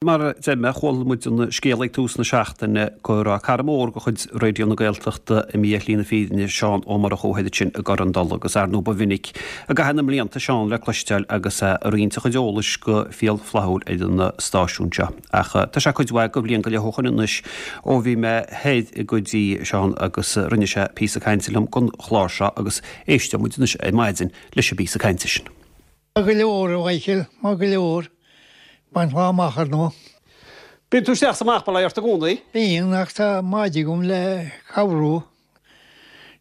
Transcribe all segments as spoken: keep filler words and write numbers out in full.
Mar a deir mé, chuala muid an scéal ag tús na seachtaine go raibh cara mór de chuid Raidió na Gaeltachta imithe ar shlí na fírinne, Seán Ó Murchú thoir ansin i gCorr an Dola agus ar ndóigh ba mhinic i gcaitheamh na mblianta Seán le cloisteáil agus é ag roinnt a chuid eolais go fial flaithiúil ar an stáisiún seo. Ach tá sé cuid mhaith de bhliain go leith ó shoin anois ó bhí mé thoir go dtí Seán agus rinne sé píosa cainte liom don chlár seo agus éisteoidh muid anois ar maidin leis an bpíosa cainte sin. Maith go leor, a Mhichíl, maith go leor. Baint lá amach ar ndóigh. Bíonn tú isteach 's amach bail ó Dhia ort i gcónaí. Bíonn, ach tá maide agam le cabhrú.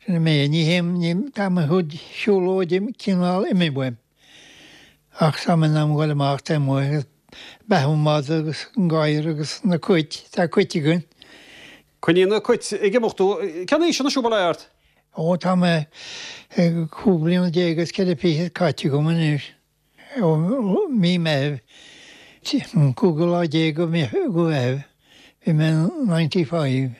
Sin é mé. Ní théim, ní, tá mo chuid siúlóide cineál imithe uaim. Ach tá mé in am dhul amach taobh amuigh agus beathú an mhada agus an gadhar agus na cait, tá cait againn. Coinníonn na cait ag imeacht thú. Cén aois anois thú, bail ó Dhia ort? Ó, tá mé cúig bliana déag agus ceithre fichid caite agam anois. Ó mí Meithimh, an cúigiú lá déag de Mheitheamh, bhí mé ninety five.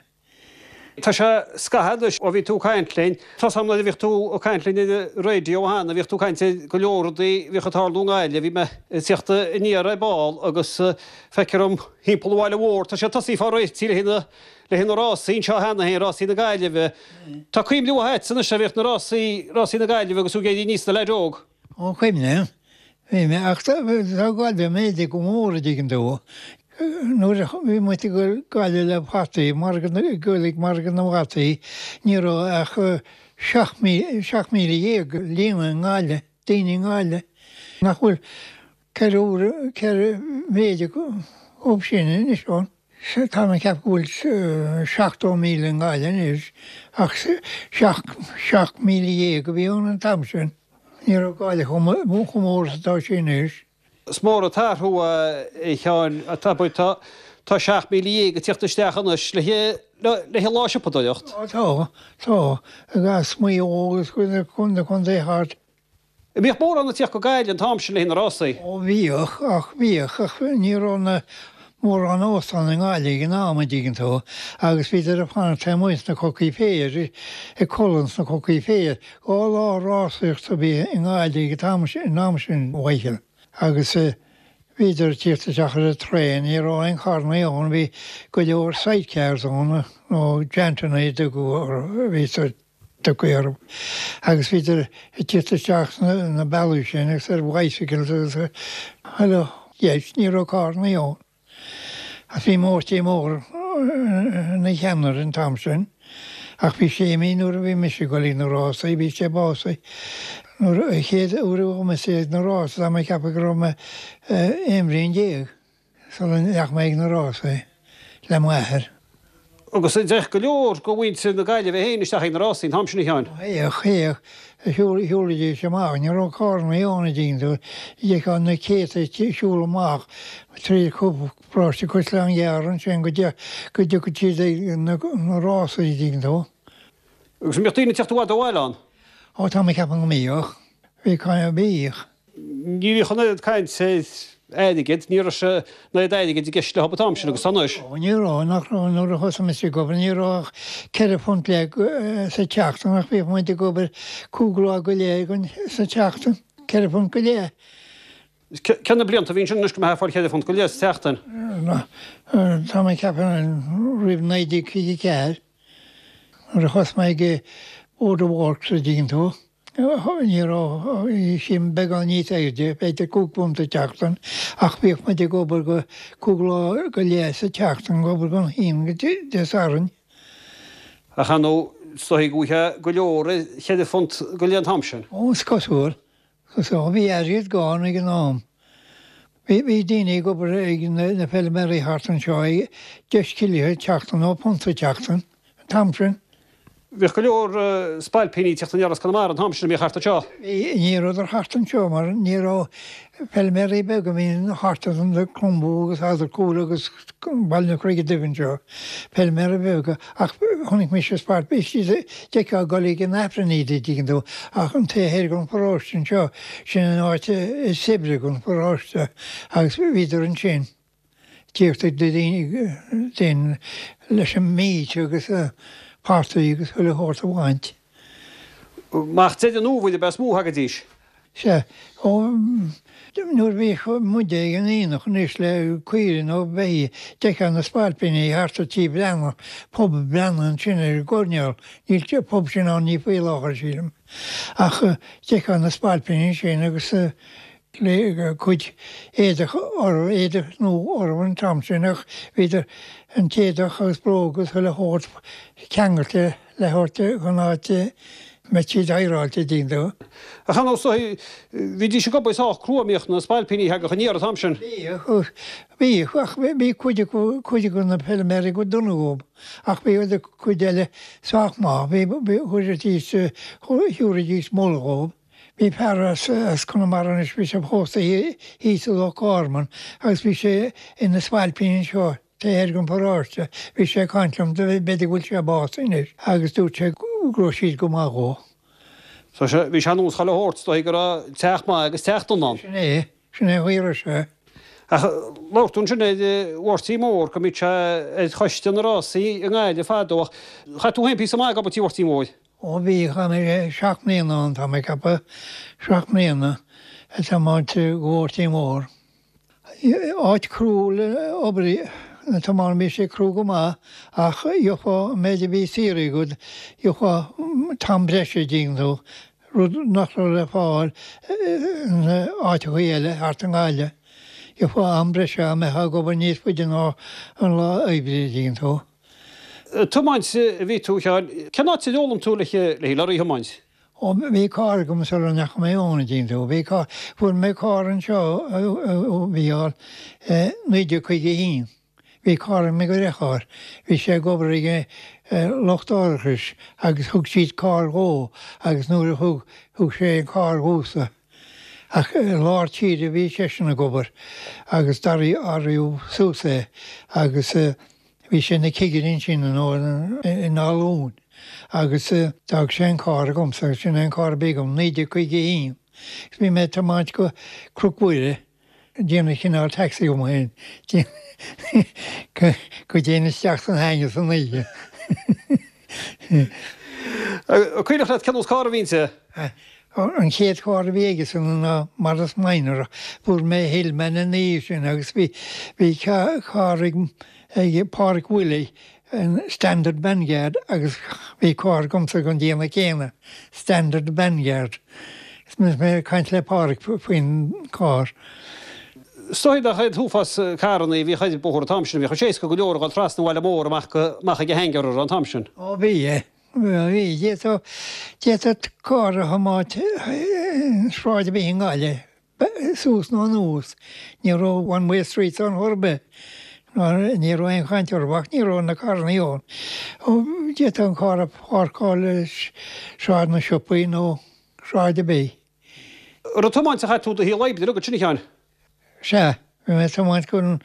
Tá sé scaitheamh anois ó bhí tú ag caint linn. Tá's agam nuair a bhíodh tú ag caint linn ar an raidió cheana, bhíodh tú ag caint ar go leor rudaí a bhíodh ag tarlú i nGaillimh. Bhí mé ag tíocht aniar ar ball agus feictear dom thimpeall an bhaile mhóir, tá sé tosaithe fá réitigh le haghaidh le haghaidh na rásaí anseo cheana féin, rásaí na Gaillimhe. Tá cuimhne mhaith agatsa anois a bhíodh na rásaí, rásaí na Gaillimhe agus tú ag éirí aníos i do leaid óg. Ó cuimhním. Bhí mé, ach tá Gaillimh méadaithe go mór a dtuigeann tú. Nuair a bhí muid ag dul Gaillimh le fataí, margadh na, ag dul ag margadh na bhfataí, ní raibh ach seacht míle, seacht míle dhéag líonadh i nGaillimh, daoine i nGaillimh. Nach bhfuil ceithre uaire, ceithre mhéid chomh sin anois ann. Tá mé ag ceapadh go bhfuil seachtó míle i nGaillimh anois, ach seacht, seacht míle dhéag a bhí ann an t-am sin. Ní raibh Gaillimh chomh mór is atá sí anois. Is mór an t-athrú é, a Sheáin, tá tá seacht míle dhéag ag tíocht isteach anois le le lá siopadóireacht. Ó tá, tá, as Maigh Eo agus na contaetha thart. An mbíodh mórán ag tíocht go Gaillimh an t-am sin le haghaidh na rásaí? Ó bhíodh, ach bhíodh, ach ní raibh na mórán óstán i nGaillimh ag an am, an dtuigeann tú, agus bhíodar ag fanacht taobh amuigh sna cocaí féir, ag codladh sna cocaí féir. Dhá lá rásaíochta a bhí i nGaillimh ag an t-am sin, an am sin, a Mhichíl, agus bhíodar ag tíocht isteach ar an traein, ní raibh aon charrannaí ann, bhí go leor sidecars ann, nó jantannaí a tugadh orthu, a bhí sa tugtha orthu, agus bhíodar ag tíocht isteach sna na bealaí sin agus ar bicycles agus chuile dheis, ní raibh carrannaí ann. Ach bhí Máirtín Mór ina cheannaire an t-am sin, ach bhí sé imithe nuair a bhí mise ag dul ag na rásaí, bhí sé básaithe nuair a chéad uair a bhí mise ag na rásaí, tá mé ag ceapadh go raibh mé aon bhliain déag sula ndeachaigh mé ag na rásaí le m'athair. Agus théadh go leor de mhuintir na Gaillimhe féin isteach ag na rásaí an t-am sin, a Sheáin. Théadh, théadh, shiúlaidís amach, ní raibh carrannaí ann a dtuigeann tú, d'fheicfeá na céadta ag siúl amach trí Paróiste Caisleán Ghearr ansin go go dtiocfadh siad ag na rásaí a dtuigeann tú. Agus an mbíodh daoine ag teacht i bhfad ó bhaile ann? Ó tá mé ag ceapadh go mbíodh. Bhí, bhíodh. Ní bhíodh an oiread caint ar airgead, ní raibh sé an oiread airgid i gceist leo an t-am sin agus anois. Ó ní raibh, nach raibh, nuair a thosaigh mise ag obair ní raibh ach ceithre phunt leath sa tseachtain ach bhíodh muid ag obair cúig lá go leith sa tseachtain, ceithre phunt go leith. Cé na blianta a bhí ansin anois go mbeifeá ag fáil ceithre phunt go leith sa tseachtain? Tá mé ag ceapadh roimh naoi déag fiche ceathair nuair a thosaigh mé ag Board of Works a dtuigeann tú, ní raibh, bhí sé beagán níos airde, b'fhéidir cúig phunt sa tseachtain ach bhíodh muid ag obair go cúig lá go leith sa tseachtain, ag obair ón hAoine go Dé Sathairn. Ach ar ndóigh, is dóigh go bhfaighfeá go leor ar cheithre phunt go leith an t-am sin. Ó, is cosúil. So bhí airgead gann ag an am. Bhí bhí daoine ag obair ag na feilméaraí thart anseo ag deich scilling an tseachtain nó punt sa tseachtain an t-am sin. Bhíodh go leor spailpíní ag tíocht aniar as Conamara an t-am sin a bhíodh thart anseo. Bhí, ní rabhadar thart anseo mar ní raibh feilméaraí beaga a bhí thart ar an Clombú agus Eadarcúil agus Baile na Creige Duibhe anseo, feilméaraí beaga ach chonaic mise spailpíní, d'fheicfeá ag dul ag an Aifreann iad a dtuigeann tú, ach an taobh thoir den pharóiste anseo, sin an áit is saibhre den pharóiste agus bhíodar ansin ag tíocht ag daoine daoine leis an méid agus fataí agus chuile shórt a bhaint. Amach Deireadh an Fhómhair ab ea is mó a thagaidís? Sea, ó Nuair a bhíodh muide ag an aonach anois le caoirigh nó beithígh, d'fheicfeá na spailpíní thart ar Tí Breathnach, pub Breathnach ansin ar an gcoirnéal, níl an pub sin ann ní faoi láthair sílim, ach d'fheicfeá na spailpíní ansin agus le cuid éadach orthu, éadach nua orthu an t-am sin ach bhíodar an t-éadach agus bróga agus chuile shórt ceangailte le thabhairt chun áit mbeadh siad adhráilte dtuigeann tú. Ach ar ndóigh, bhídís ag obair sách crua, an mbíodh na spailpíní a thagadh aniar an t-am sin? Bhíodh, bhíodh, ach bhí cuid acu, cuid acu na feilméaraí go dona dhób, ach bhí cuid eile sách maith, bhí, bhí, chuiridís, thabhraidís moladh dhób. Bhí fear as, as Conamara anois, bhí sé pósta thíos i Loch Garman agus bhí sé ina spailpín anseo taobh thoir den pharóiste. Bhí sé ag caint liom, b'fhéidir go bhfuil sé básaithe anois, agus dúirt sé go raibh siad go maith dhó. So bhí sé ar nós chuile shórt, is dóigh go raibh teach maith agus teach dona ann. Sin é, sin é a raibh sé. Ach labhair tú ansin ar Mháirtín Mór, go mbíodh sé ar choiste na rásaí i nGaillimh fadó ach chaith tú féin píosa maith ag obair tí Mháirtín Mhóir. Ó bhí, chaith mé seacht mbliana ann, tá mé ag ceapadh, seacht mbliana ag tiomáint do Mháirtín Mór. Áit crua le obair a tiomáint, bhí sé crua go maith ach gheofá an méid a bhí saoire agat, gheofá t-am breise an dtuigeann tú, rud nach raibh le fáil in áiteachaí eile thart i nGaillimh. Gheofá am breise dá mbeifeá ag obair níos faide ná an lá oibre an dtuigeann tú. Tiomáint a bhí tú, a Sheáin. Cén áit ar fhoghlaim tú le lorry a thiomáint? Ó, bhí carr agam sula ndeachaigh mé ann, an dtuigeann tú. Bhí carr, fuair mé carr anseo, a Mhícheáil, naoi déag caoga a haon. Bhí carr ag mo dheartháir, bhí sé ag obair ag lucht árachais agus thug siad carr dhó agus nuair a thug, thug sé an carr dhomhsa. Ach i lár tíre a bhí seisean ag obair agus d'athraíodh suas é agus bhí sé ina chigire ansin nó ina ollún. Agus d'fhág sé an carr agamsa agus sin é an carr a bhí agam, naoi déag caoga a haon. Agus bhí mé ag tiomáint go Cnoc Mhuire, ag déanamh cineál taxi dhom féin, go dtéinn isteach san hangar san oíche. An cuimhneach leat cén nós carr a bhí inti? An chéad charr a bhí aigesan ná Morris Minor ach fuair mé Hillman ina dhiaidh sin agus bhí bhí carr ag ag Pádraic Willie an Standard Vanguard agus bhí carr agamsa den déanamh céanna, Standard Vanguard. Is mé ag caint le Pádraic faoin gcarr. Is dóigh nach an t-uafás carranna a bhíodh ar an bóthar an t-am sin, bhíodh sé éasca go leor a dhul trasna an Bhaile Mhóir amach go amach ag an hangar an t-am sin. Ó bhí, bhí. D'fhéadfadh d'fhéadfadh carr a thiomáint sráid ar bith i nGaillimh. Suas nó anuas. Ní raibh one way streets ann chor ar bith. Ní raibh aon chaint orthu ach ní raibh na carrannaí ann. D'fhéadfá an carr a pháirceáil i Sráid na Siopaí nó sráid ar bith. An raibh tiomáint a chaith tú do shaol oibre agat sin, a Sheáin? Sea. Bhí mé ag tiomáint don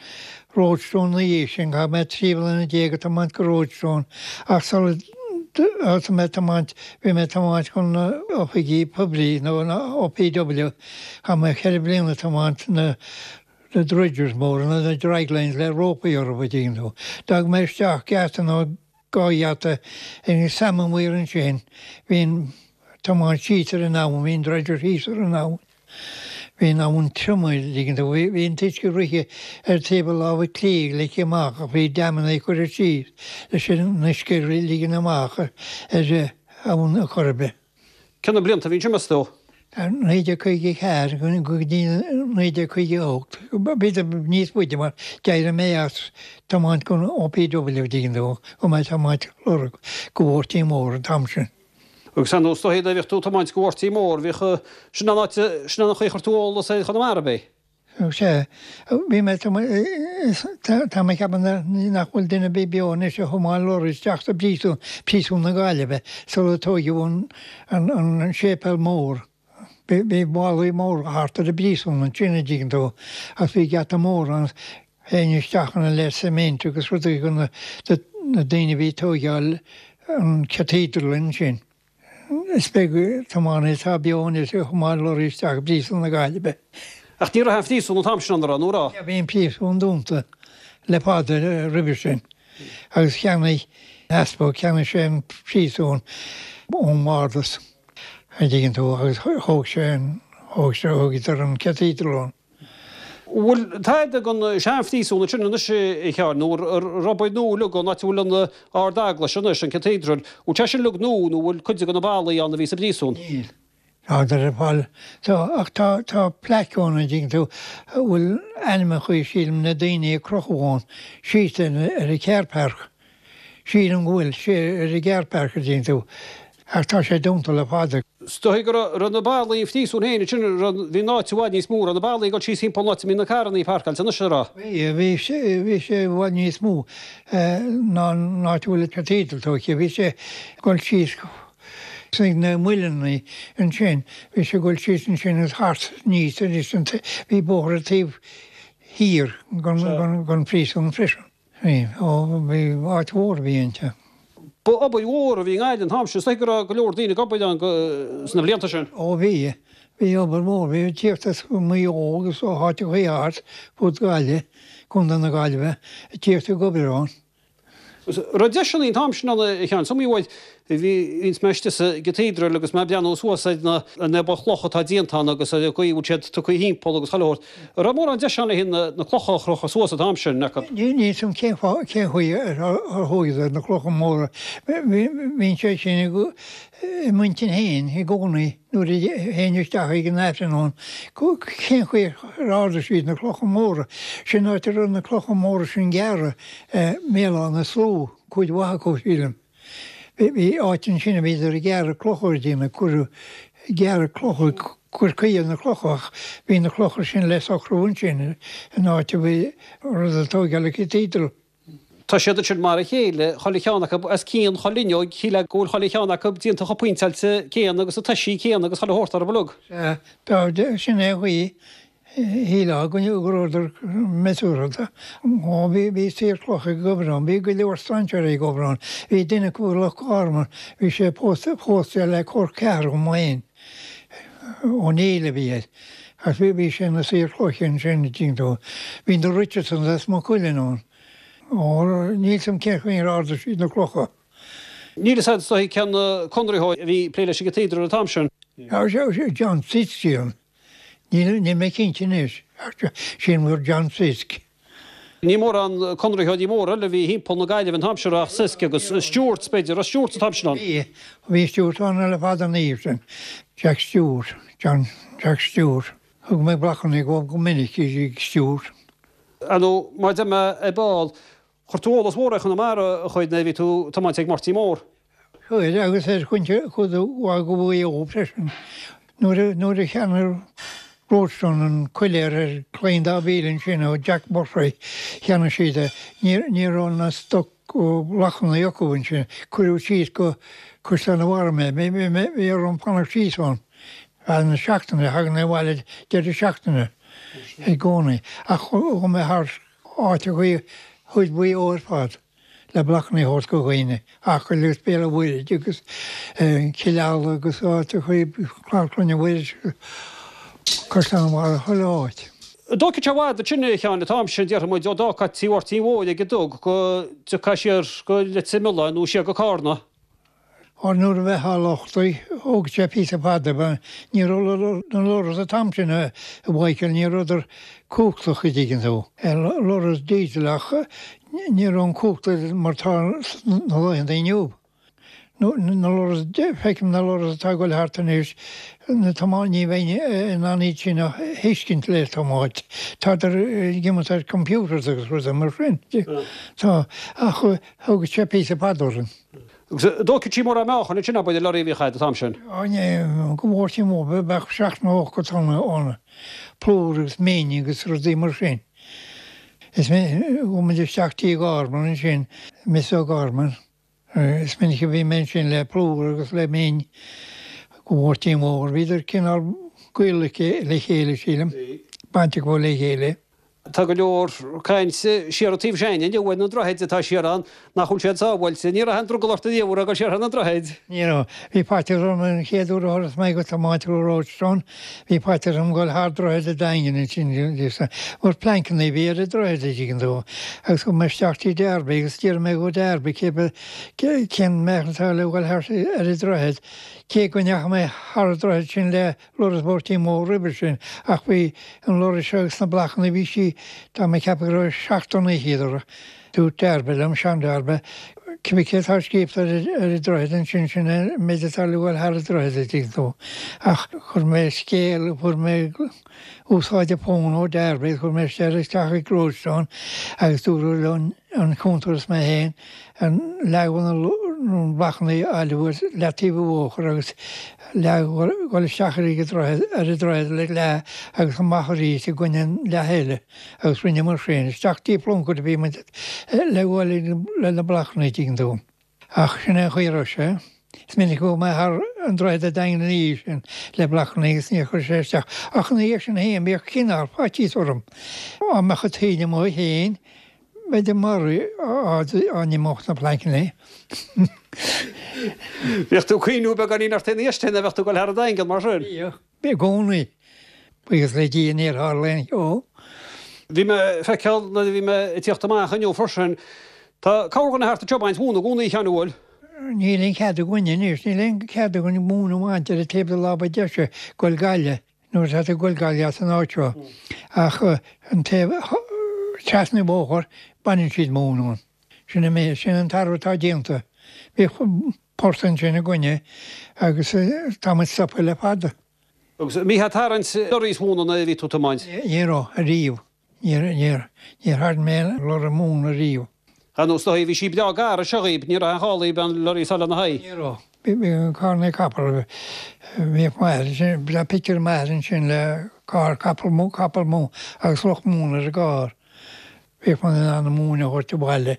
Roadstone ina dhiaidh sin. Chaith mé trí bliana déag ag tiomáint go Roadstone ach sula thosaigh mé ag tiomáint, bhí mé ag tiomáint chun na oifigí poiblí nó na OPW. Chaith mé ceithre bliana ag tiomáint na na dredgers móra, na draglines le rópaí orthu, an dtuigeann tú. D'fhág mé isteach geata nó dhá gheata ag an Salmon Weir ansin. Bhí an tiomáint síos ar an abhainn, bhí an dredger thíos ar an abhainn. Bhí an abhainn tirim, an dtuigeann tú. Bhí an t-uisce ag rith ar taobh a láimhe clí ag leagan amach ach bhí damanna curtha síos leis an uisce a ligean amach ar abhainn an Choirib. Cé na blianta a bhí ansin, meas tú? naoi déag caoga a ceathair go dtí naoi déag caoga a hocht, b'fhéidir níos faide mar d'éirigh mé as tiomáint don OPW, an dtuigeann tú, chuaigh mé ag tiomáint lorry go Mháirtín Mór an t-am sin. Agus ar ndóigh is dóigh nuair a bhíodh tú ag tiomáint go Mháirtín Mór, bhíodh, sin an áit, sin an chaoi a chuir tú eolas ar Chonamara, ab é? Sea, bhí mé, tá mé ag ceapadh nach bhfuil duine ar bith beo anois a thiomáin lorry isteach sa bpríosún, Príosún na Gaillimhe, sular tóigeadh an, an séipéal mór. Bhí ballaí móra thart ar an bpríosún ansin, an dtuigeann tú, agus bhí geata mór ann, théinn isteach ann le cement agus rudaí do na daoine a bhí ag tóigeáil an cathedral ansin. Is beag tiománaí atá beo anois a thiomáin lorry isteach i bPríosún na Gaillimhe. Ach ní raibh an phríosún an t-am sin ann, an raibh, nó raibh? Bhí an príosún dúnta le fada roimhe sin agus cheannaigh an t-easpag, cheannaigh sé an príosún ón mbardas, an dtuigeann tú, agus thóg sé an Thóg sé, thógadar an cathedral ann. Bhfuil tada den seanphríosún ansin anois a Sheáin, nó ar obair nua uilig an áit a bhfuil an Ard-Eaglais anois, an Cathedral, bhfuil sé sin uilig nua nó bhfuil cuid de na ballaí ann a bhí sa bpríosún? Níl. Tá ar fáil. Tá, ach tá, tá plaic ann, an dtuigeann tú, a bhfuil ainmeacha, sílim, na daoine a crochadh ann, síos ar an carpark. Sílim go bhfuil sé ar an gcarpark, an dtuigeann tú. Ach tá sé dúnta le fada. Is dóigh go raibh na ballaí an phríosúin féin ansin, bhí an áit i bhfad níos mó, raibh na ballaí ag dul síos thimpeall an áit a mbíonn na carrannaí páirceáilte anois, an raibh? Bhí, bhí sé, bhí sé i bhfad níos mó ná an áit a bhfuil an cathedral tógtha. Bhí sé ag dul síos ag na muileannaí ansin, bhí sé ag dul síos ansin agus thart aníos arís, bhí bóthar an taobh thiar den phríosún freisin. Bhí, ó, bhí áit mhór a bhí inti. Ba obair mhór a bhí i nGaillimh an t-am sin, is dóigh go raibh go leor daoine ag obair ann sna blianta sin. Ó bhí, bhí obair mhór, bhí ag tíocht as Maigh Eo agus ó áiteachaí thart fud Gaillimh, Contae na Gaillimhe, ag tíocht ag obair ann. Raibh deiseanna an t-am sin ann a Sheáin, is iomaí uair a bhíonns mé istigh sa gcathedral agus mé ag breathnú suas ar na an obair chloch atá déanta ann agus ar an gcaoi a bhfuil siad tugtha thimpeall agus chuile shórt. An raibh mórán deis ann le haghaidh na clocha a chrochadh suas an t-am sin acu? Níl a fhios agam cén fáth, cén chaoi ar thógadar na clocha móra. Bíonn sé sin i m'intinn féin i gcónaí nuair a théinn isteach ag an Aifreann ann, cén chaoi ar ardaigh siad na clocha móra. Sin áit a raibh na clocha móra sin gearrtha i mBéal Átha na Sluaighe, cuid mhaith acu, sílim. Bhí áit ansin a bhíodar ag gearradh clocha ar déanamh, cuireadh, gearradh clocha, cur caoi ar na clocha ach bhí na clocha sin le socrú ansin in áit a bhí rud ag tógáil an cathedral. Tá siad ansin mar a chéile, chuile cheann acu os cionn chuile fhuinneog, shílfeá go bhfuil chuile cheann acu déanta chomh pointeáilte céanna agus na toisí céanna agus chuile shórt orthu uilig. Sea, tá, sin é an chaoi, shílfeá go rabhadar measúrtha. Ó bhí, bhí saor cloch ag obair ann, bhí go leor strainséirí ag obair ann. Bhí duine acu ó Loch Garman, bhí sé pósta, pósta le col ceathrar dhom féin, Ó Néill a bhí air. Agus bhí, bhí sé ina saor cloiche ansin, an dtuigeann tú. Bhí na Richardsons as Maigh Cuilinn ann. Ó, níl 'fhios a'm cén chaoi ar ardaigh siad na clocha. Níl 'fhios a'd is dóigh cén conraitheoir a bhí ag plé leis an gcathedral an t-am sin. John Sisk, sílim. Níl, níl mé cinnte anois, ach sílim gur John Sisk. Ní mórán conraitheoirí móra eile a bhí thimpeall na Gaillimhe an t-am sin ach Sisk agus Stewarts b'fhéidir, raibh Stewarts an t-am sin ann? Bhí, bhí Stewart ann le fada ina dhiaidh sin. Jack Stewart, John Jack Stewart. Thug mé blocanna dhó go minic ag Stewart. Ar ndóigh, mar a deir mé ar ball, chuir tú eolas mhór ar Chonamara a chuid nuair a bhí tú ag tiomáint ag Máirtín Mór. Chuir, agus ar chuid mhaith de Mhaigh Eo freisin. Nuair a, nuair a cheannaigh Roadstone an coiléar ar Claí an Dá Mhíle ansin ó Jack Murphy, cheannaigh siad é. Ní, ní raibh na stoc blocanna acu ansin. Cuireadh síos go Caisleán an Bharraigh mé. Bhí, bhí, bhí orm fanacht síos ann. Feadh na seachtaine, thagadh mé abhaile deireadh seachtaine i gcónaí. Ach chuaigh mé thar áiteachaí chuid Mhaigh Eo ar fad le blocanna a thabhairt go dhaoine, Acaill agus Béal an Mhuirthid agus Cill Ala agus áiteachaí Clár Clainne Mhuiris, Caisleán an Bharraigh, chuile áit. An dtógfadh sé i bhfad ansin a Sheáin an t-am sin, déarfaidh muid, ó d'fhágfá Tí Mháirtín Mhóir ag an dug go dtiocfá siar go Leitir Mealláin nó siar go Cárna. Ó nuair a bheifeá lochtaithe, thóg sé píosa fada, ní raibh na lorries an t-am sin a Mhichael, ní rabhadar cumhachtach a dtuigeann tú. Lorries diesel ach ní raibh an cumhacht mar tá sna laethanta inniu. Na lorries, feicim na lorries atá ag dul thart anois, na tiománaithe, ní bheinn in ann iad sin a thuiscint le tiomáint. Tádar ag imeacht ar computers agus rudaí mar sin. Tá, ach thóg sé píosa fada orainn. Agus an dtógfadh sí mórán meáchain ansin abair an lorry a bhíodh agat an t-am sin? Ó ní, go Máirtín Mór, bheadh seacht nó ocht tonna ann, plúr agus min agus rudaí mar sin. Is minic, chuaigh muid isteach Tí Gorman ansin, Miss O'Gorman, is minic a bhí mé ansin le plúr agus le min go Máirtín Mór. Bhíodar cineál gaolmhar le chéile, sílim, baint acu le chéile. Tá go leor cainte siar an taobh sin inniu ar na droichid atá siar ann nach bhfuil siad sábháilte. Ní raibh aon drogall ort ariamh a dhul siar thar na droichid. Ní raibh. Bhí faitíos orm an chéad uair a thuras mé go tiomáint ó Rochestown, bhí faitíos orm dhul thar droichead an Daingin ansin mar pleainceanna a bhí ar an droichead a dtuigeann tú agus chuaigh mé isteach dtí Darby agus d'iarr mé go Darby cé cén mbealach atá le dhul thar ar an droichead cé go ndeachaigh mé thar an droichead sin le lorry is mór roimhe sin ach bhí an lorry seo agus na blocanna bhí sí tá mé ag ceapadh go raibh seacht dtonna fhichead orthu. Dúirt Darby liom, Seán Darby, cibé cé atá scríofa ar ar an droichead ansin sin an méid atá le dhul thar an droichead a dtuigeann tú. Ach chuir mé scéal, fuair mé úsáid an fón ó Darby, chuir mé isteach ag Roadstone agus dúradh liom an cuntar is mé féin an leagan na blocanna a fháil uait leataobh an bhóthair agus leath dhul isteach ar an ar an droichead le leath agus amach arís i gcoinne an leath eile agus rinneamar sin. Isteach dtí Plunkett a bhí muid le dhul le na blocanna dtuigeann tú. Ach sin é an chaoi a raibh sé. Is minic a chuaigh mé thar an droichead an Daingean ina dhiaidh sin le blocanna agus níor chuir sé isteach. Ach ina dhiaidh sin féin bhíodh cineál faitíos orm. Dá mbeadh an taoille amuigh féin b'fhéidir maraithe á n-imeodh na plainceanna. Bhíodh tú ag cuimhniú beagáinín ort ina dhiaidh sin a bheadh tú ag dul thar an Daingean mar sin? Bhíodh, i gcónaí. Buíochas le Dia níor tharla aon cheo. Bhí mé ag feiceáil nuair a bhí mé ag tíocht amach inniu freisin, tá corrdhuine thart anseo ag baint móna i gcónaí, a Sheáin, an bhfuil? Níl aon chead againn anois, níl aon chead againn móin a bhaint ar an taobh de láimh deise ag goil Gaillimh. Nuair atá tú ag goil Gaillimh as an áit seo. Ach an taobh trasna an bhóthair, baineann siad móin ann. Sin an méid, sin an t-athrú atá déanta. Bhíodh port ansin againne agus tá muid stoptha le fada. Agus an mbítheá ag tarraingt lorries mhóna nuair a bhí tú ag tiomáint? Ní raibh, ariamh. Níor, níor, níor tharraing mé lorra móna ariamh. Ar ndóigh, bhí sí breá gar anseo dhaoib, ní raibh aon chall dhaoib an lorry a fháil lena haghaidh. Ní raibh. Bhí carranna capall, bhíodh m'athair ansin, bhí pictiúr m'athar ansin le carr capall mó, capall mó agus lucht móna ar an gcarr. Bhíodh muid in ann an mhóin a thabhairt abhaile.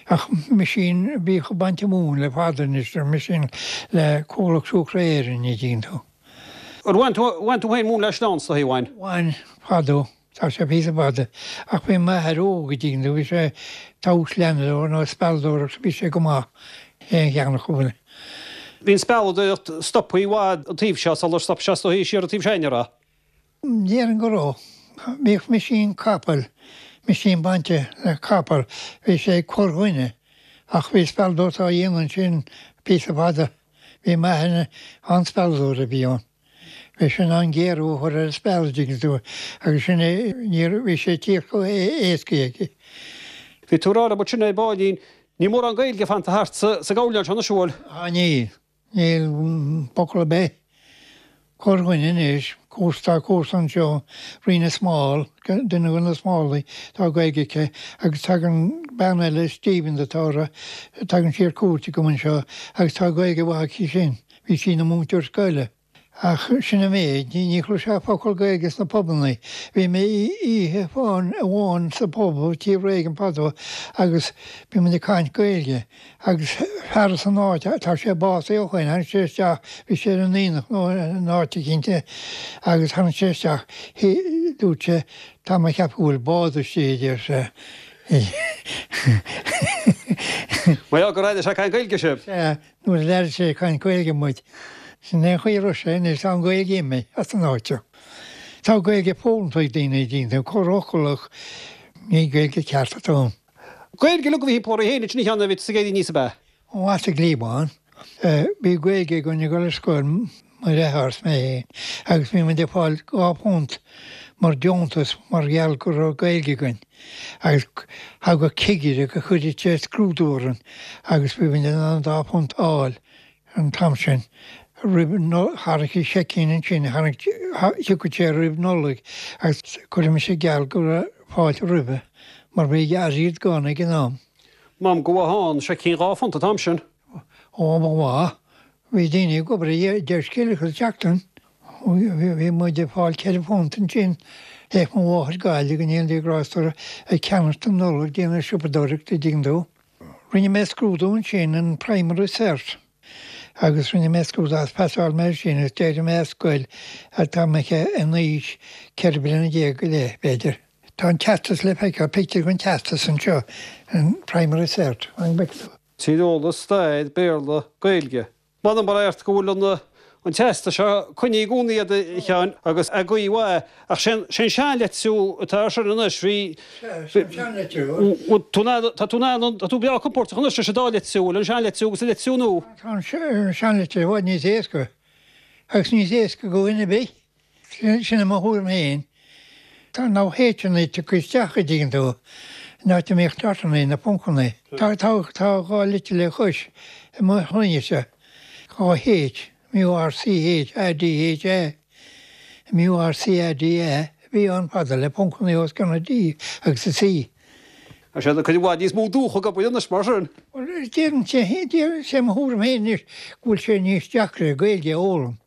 Ach meaisín, bhíodh ag baint móin le fada anois, ar meaisín le Comhlacht Siúcra Éireann, an dtuigeann tú. Ar bhain tú, bhain tú féin móin le sleán, is dóigh, bhain? Bhain, fadó. Tá sé píosa fada. Ach bhí m'athair óg, an dtuigeann tú, bhí sé tomhasleanadóir nó spealadóireacht, bhí sé go maith aon cheann acu. Bhí an spealadóireacht stoptha i bhfad an taobh seo sular stop sé is dóigh siar an taobh sin, an raibh? Déarfainn go raibh. Bhíodh meaisín capaill, meaisín bainte le capall, bhí sé ag corrdhuine ach bhí spealadóireacht á dhéanamh ansin píosa fada. Bhí m'athair an-spealadóir a bhí ann. Bhí sé in ann géarú a chur ar an speal, an dtuigeann tú, agus sin é, ní raibh, bhí sé ag tíocht chomh héasca aige. Bhí tú ag rá liom ansin ar baillín, níl mórán Gaeilge fanta thart sa, sa gcabhlán seo anois, an bhfuil? Á níl, níl focal ar bith. Corrdhuine anois, cúrsa, tá cúrsa anseo, Ríona Small, duine de na Smállaigh, tá Gaeilge aici, agus tagann bean eile, Stevens atá uirthi, tagann sí ar cuairt agam anseo agus tá Gaeilge mhaith aici sin, bhí sí ina múinteoir scoile. Ach sin an méid, ní chloisfeá focal Gaeilge sna pubanna. Bhí mé oíche amháin sa phub Tí Reagan fadó agus bhí muid ag caint Gaeilge agus fear as an áit, tá sé básaithe ó shoin, tháinig sé isteach, bhí sé ar an aonach nó in áit eicínt agus tháinig sé isteach, dúirt sé, tá mé ag ceapadh go bhfuil bád istigh, a deir sé. Mar gheall gur airigh sé ag caint Gaeilge sibh? Sea, nuair a d'airigh sé ag caint Gaeilge muid. Sin é an chaoi a raibh sé anois, tá an Ghaeilge imithe as an áit seo. Tá Gaeilge foghlamtha ag daoine, daoine corrfhocal ach ní Gaeilge ceart atá ann. Gaeilge uilig a bhí thimpeall oraibh féin ansin a Sheáin nuair a bhí tusa ag éirí aníos ab ea? Ó as an gCliabhán. Bhí Gaeilge againn ag dul ar scoil, mo dheartháir is mé féin, agus bhí muid ag fáil dhá phunt mar deontas mar gheall go raibh Gaeilge againn. Agus thagadh cigire go chuireadh sé scrúdú orainn agus bhí muid in ann an dá phunt a fháil. An t-am sin, roimh tharraing sé seicín ansin, tharraing, thiocfadh sé roimh Nollaig agus chuireadh mise geall go raibh fáilte roimhe mar bhí airgead gann ag an am. M'anam go mhaith ann, seicín dhá phunt an t-am sin. Ó, ba mhaith. Bhí daoine ag obair deich scilling sa tseachtain. Bhí muid ag fáil ceithre phunt ansin. Théadh mo mháthair Gaillimh, go ndéana Dia grásta uirthi, ag ceannacht don Nollaig, déanamh siopadóireachta, an dtuigeann tú. Rinne mé scrúdú ansin, an Primary Cert, agus rinne mé scrúdú agus phasáil mé sin agus d'éirigh mé as scoil tá mé in aois ceithre bliana déag go leith, b'fhéidir. Tá an teastas le feiceáil, pictiúr den teastas anseo, an Primary Cert. An bhfeiceann tú? Tíreolas, Stair, Béarla, Gaeilge. M'anam mar ort go bhfuil an an teastas seo coinnithe i gcónaí agat a Sheáin agus a gcuí mhaith ach sé an seanlitriú atá air sin anois bhí Tá tú tá tú breá compordach anois leis an dá litriú, an seanlitriú agus an litriú nua. Tá an seanlitriú i bhfad níos éasca agus níos éasca do dhuine ar bith. Sin mo thuairim féin. Tá na h-anna tugtha isteach an dtuigeann tú, in áit a mbíodh dotanna, na poncanna. Tá tá dhá litir le cois i mo shloinnese, dhá H, M-U-R-C-H A-D-H-A, M-U-R-C-A-D-A, a bhí ann fada, le poncanna os cionn an D agus an C. Tá sé cuid mhaith níos mó dúch ag obair anois mar sin. Bhuel, déarfainnse, sé mo thuairim féin anois go bhfuil sé níos deacra Gaeilge a fhoghlaim.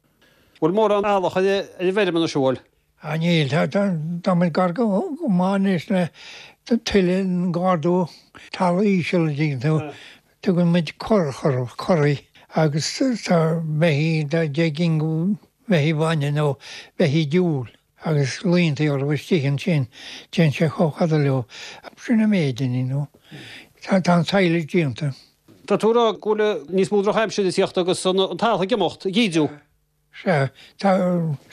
Bhfuil mórán eallach ar an bhfeirm anois, an bhfuil? Ah níl, tá muid gar go maith anois le tuilleadh gar do talamh íseal an dtuigeann tú. Tugann muid currach orthu, curraí, agus tá beithígh, tá deich gcinn de bheithígh bhainne nó beithígh diúil agus laontaí orthu istigh ansin, téann sé chomh fada leo. Sin an méid, you know. Tá an silage déanta. Tá tú a rá go bhfuil níos mó drochaimsire ag tíocht agus an t-eallach ag imeacht, ag ídiú. Sea, tá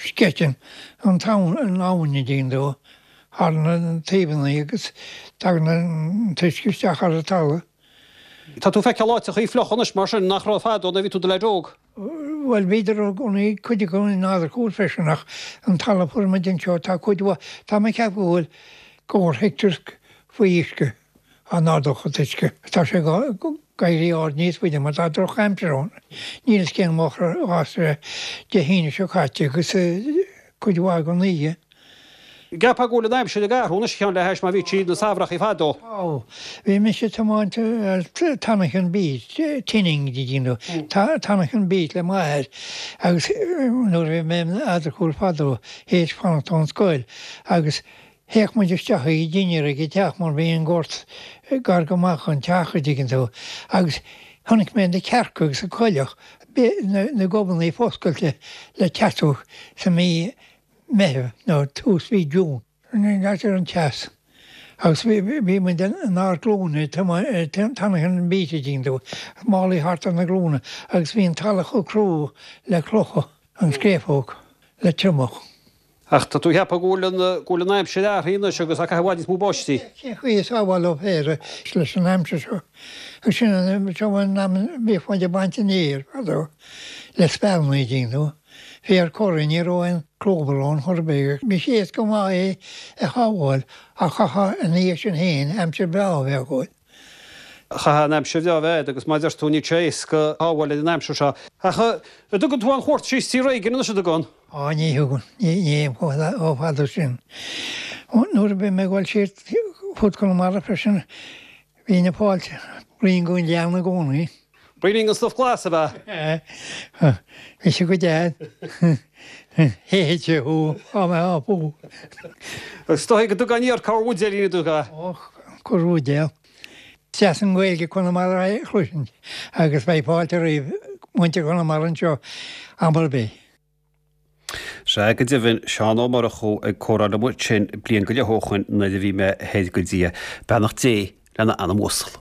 sceiteann an t-abhainn, an abhainn an dtuigeann tú, thar na taobhanna agus tagann an t-uisce isteach ar an talamh. Tá tú ag feiceáil áiteachaí fliuch anois mar sin nach raibh fadó nuair a bhí tú i do leaid óg. Bhuel, bhíodar i gcónaí, cuid acu in Eadarcúil freisin ach an talamh a fuair muid anseo, tá cuid mhaith, tá mé ag ceapadh go bhfuil scór heicteár faoi uisce. Á n-ardódh an t-uisce. Tá sé ag éirí ard níos faide mar tá drochaimsir ann. Níl fhios cén mhaith a sé Dé hAoine seo caite agus cuid mhaith den oíche. Ceapfá go bhfuil an aimsir ag athrú anois a Sheáin le hais mar a bhí sí na samhrachaí fadó. Ó, bhí mise ag tiomáint Tannachan Beach, Tinning, you know, Tannachan Beach le m'athair agus nuair a bhí mé in Eadarcúil fadó, théis fanacht ón scoil agus Théadh muid isteach ag dinnéar ag an teach mar bhí an gort gar go maith dhon teach, a dtuigeann tú, agus chonaic mé na cearca agus an coileach, na gobannaí foscailte le teasú sa mí Meitheamh nó tús mhí June. Ní ar an teas. Agus bhí muid inár nglúine ag tiomáint an beach, a dtuigeann tú, málaí thart ar na glúine agus bhí an talamh chomh crua le clocha, an scréafóg le triomach. Ach tá tú ag ceapadh go bhfuil an, go bhfuil an aimsir athraithe anois agus á caitheamh i bhfad níos mó báistí. Cén chaoi a sábhálfá féar leis an aimsir seo? Agus sin an, seo an am a bhíodh muid ag baint an fhéir fadó le spealanna, a dtuigeann tú. Féar corraí, ní raibh aon clover ann chor ar bith. Bhí sé éasca go maith é a shábháil ach chaithfeá ina dhiaidh sin féin aimsir bhreá a bheith agat. Chaithfeadh an aimsir bhreá a bheith agat agus mar a deir tú níl sé éasca shábháil ar an aimsir seo. Ach an dtugann tú aon chuairt síos Tír Réigion anois an dtugann? Á ní thugann, ní théim chomh fada sin. Nuair a bhí mé ag dul siar fud Chonamara freisin bhínn ag fáilt braon den ghleann i gcónaí. Braoinín den stuif glas ab ea? Bhí sé go deas. Théadh sé thú, á mbeadh á bhú. Is dóigh go dtugann iar corr bhuidéilín a dtugadh. Ó, corr bhuidéal. Is deas an Ghaeilge Conamara a chloisint agus beidh fáilte roimh muintir Chonamara anseo am ar bith. Sea, go deimhin, Seán Ó Murchú ag comhrá liom ansin bliain go leith ó shoin nuair a bhí mé thoir go dtí é. Beannacht Dé lena anam uasal.